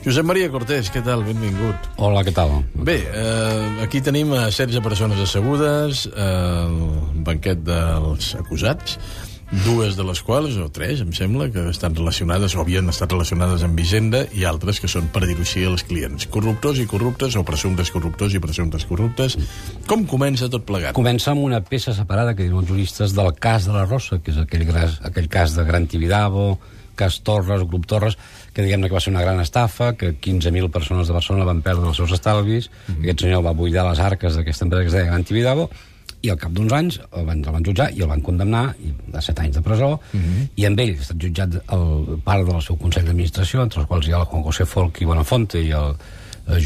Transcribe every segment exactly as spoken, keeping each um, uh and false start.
Josep Maria Cortés, què tal? Benvingut. Hola, què tal? Bé, eh, aquí tenim a setze persones assegudes al banquet dels acusats, dues de les quals, o tres, em sembla, que estan relacionades o havien estat relacionades amb Hisenda, i altres que són, per dir-ho així, els clients. Corruptors i corruptes, o presumptes corruptors i presumptes corruptes. Com comença tot plegat? Comença amb una peça separada, que diuen els juristes, del cas de la Rosa, que és aquell, gras, aquell cas de Gran Tibidabo, cas Torres, Grup Torres, que diguem-ne que va ser una gran estafa, que quinze mil persones de Barcelona van perdre els seus estalvis, mm -hmm. Aquest senyor va buidar les arques d'aquesta empresa que es deia Gran Tibidabo, i al cap d'uns anys el van, el van jutjar i el van condemnar a set anys de presó, mm -hmm. i amb ell ha estat jutjat el part del seu Consell d'Administració, entre els quals hi ha el Juan José Folch i Buenafonte i el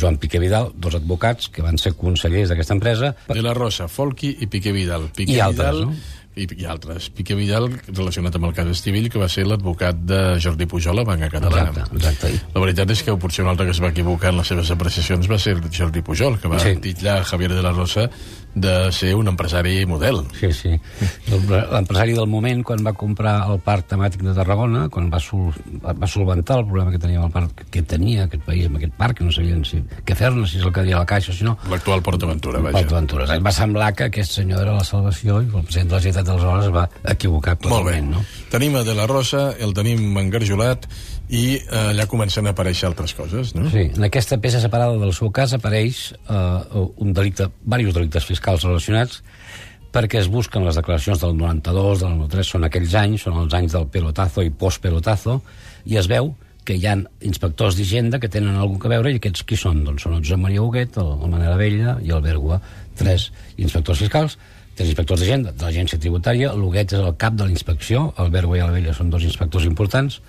Joan Piqué Vidal, dos advocats que van ser consellers d'aquesta empresa. De la Rosa, Folchi i Piqué Vidal. Piqué I altres, Vidal, no? I, i altres. Piqué Vidal, relacionat amb el cas Estivill, que va ser l'advocat de Jordi Pujol a Banca Catalana. Exacte, exacte. La veritat és que potser un altre que es va equivocar en les seves apreciacions va ser Jordi Pujol, que va sí. titllar a Javier de la Rosa de ser un empresari model. Sí, sí. L'empresari del moment, quan va comprar el parc temàtic de Tarragona, quan va, sol, va solventar el problema que tenia amb el parc, que tenia aquest país amb aquest parc, que no sabien si, què fer-ne, si és el que deia la Caixa, si no... L'actual PortAventura, vaja. PortAventura. Va semblar que aquest senyor era la salvació i el president de la Generalitat d'aleshores es va equivocar totalment, no? Tenim a De la Rosa, el tenim engarjolat, i eh, allà comencen a aparèixer altres coses, no? Sí, en aquesta peça separada del seu cas apareix eh, un delicte, diversos delictes fiscals relacionats, perquè es busquen les declaracions del noranta-dos, del noranta-tres, són aquells anys, són els anys del pelotazo i post-pelotazo, i es veu que hi ha inspectors d'Hisenda que tenen alguna cosa a veure, i aquests qui són? Doncs són el Josep Maria Huguet, el, el Manel Abella i el Bergua, tres inspectors fiscals, tres inspectors d'Hisenda, de l'Agència Tributària. L'Huguet és el cap de la inspecció, el Bergua i l'Abella són dos inspectors importants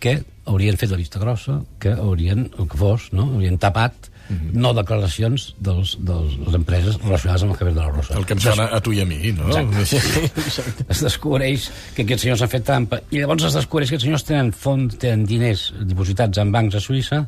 que haurien fet la vista grossa, que haurien, el que fos, no? haurien tapat mm-hmm. no declaracions dels, de les empreses relacionades amb el Javier de la Rosa. El que ens sona a tu i a mi, no? Exacte. Es descobreix que aquests senyors han fet trampa, i llavors es descobreix que aquests senyors tenen fons, tenen diners dipositats en bancs a Suïssa,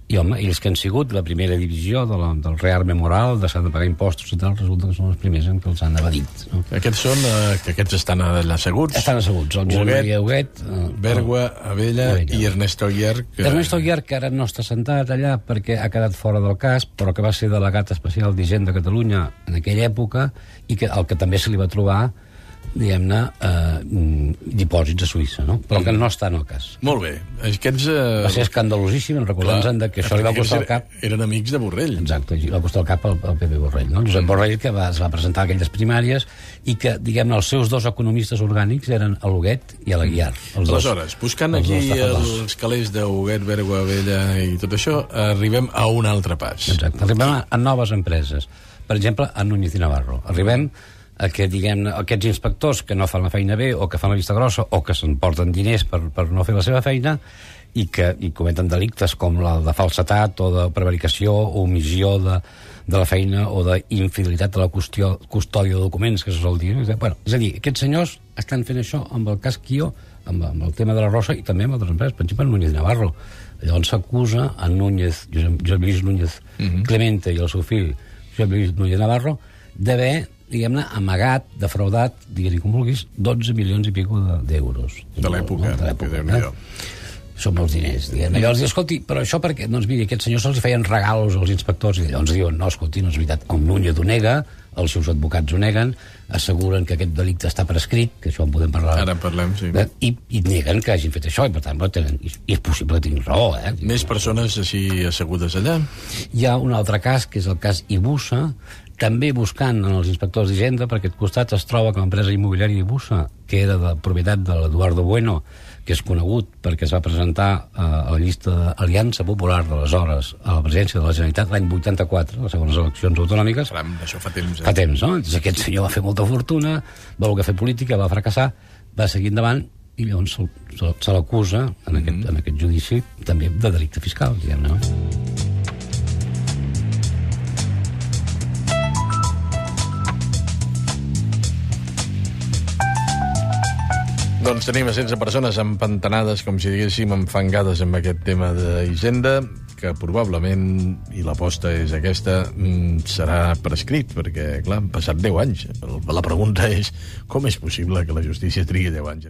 i home, ells que han sigut la primera divisió de la, del rearme moral, de s'han de pagar impostos i tal, resulta que són els primers en què els han evadit. No? Aquests són, eh, que aquests estan allà asseguts? Estan asseguts, el Josep Maria Huguet, eh, Bergua, Abella Abella. I Ernesto Aguiar. Que... Ernesto Aguiar, que ara no està sentat allà perquè ha quedat fora del cas, però que va ser delegat especial d'Hisenda de Catalunya en aquella època, i que el que també se li va trobar, diguem-ne, eh, dipòsits a Suïssa, no? Però que no està en el cas. Molt bé. Aquests... Eh... Va ser escandalosíssim, recordant-nos que això li va costar el cap... Eren amics de Borrell. Exacte, li va costar el cap al, al P P Borrell, no? Josep Borrell, que va, es va presentar a aquelles primàries, i que, diguem-ne, els seus dos economistes orgànics eren l'Huguet i l'Aguiar. Aleshores, buscant els aquí els calés d'Huguet, Bergua, Abella i tot això, arribem a un altre pas. Exacte, arribem a, a noves empreses. Per exemple, a Núñez i Navarro. Arribem a que, diguem-ne, aquests inspectors que no fan la feina bé, o que fan la vista grossa, o que s'emporten diners per, per no fer la seva feina, i que i cometen delictes com la de falsetat, o de prevaricació, o omissió de, de la feina, o d'infidelitat de la qüestió, custòdia de documents, que se sol dir. Bueno, és a dir, aquests senyors estan fent això amb el cas Quio, amb, amb el tema de la Rosa, i també amb altres empreses, per exemple, Núñez i Navarro. Llavors s'acusa a Núñez, Josep, Josep Lluís Núñez uh-huh. Clemente, i el seu fill, Josep Lluís Núñez Navarro, d'haver, diguem-ne, amagat, defraudat, digue-li com vulguis, dotze milions i pico d'euros. De l'època. De l'època, eh? Són molts diners, diguem-ne. Llavors diu, escolti, però això perquè, doncs miri, aquests senyors se'ls feien regalos als inspectors, i llavors diuen, no, escolti, no és veritat, el Núñez ho nega, els seus advocats ho neguen, asseguren que aquest delicte està prescrit, que això en podem parlar. Ara en parlem, sí. I, i neguen que hagin fet això, i per tant, tenen, i és possible que tinguin raó, eh? Més persones així assegudes allà? Hi ha un altre cas, que és el cas Ibusa, també buscant en els inspectors d'Hisenda, per aquest costat es troba que l'empresa immobiliària Ibusa, que era de propietat de l'Eduardo Bueno, que és conegut perquè es va presentar a la llista d'Aliança Popular d'aleshores a la presidència de la Generalitat l'any vuitanta-quatre, les segones eleccions autonòmiques. Caram, això fa temps, eh? Fa temps, no? Doncs aquest senyor va fer molta fortuna, va voler fer política, va fracassar, va seguir endavant, i llavors se, se, se l'acusa en, mm-hmm. aquest, en aquest judici també de delicte fiscal, diguem-ne, no? Doncs tenim a setze persones empantanades, com si diguéssim, enfangades amb aquest tema d'Hisenda, que probablement, i l'aposta és aquesta, serà prescrit, perquè, clar, han passat deu anys. La pregunta és, com és possible que la justícia trigui deu anys?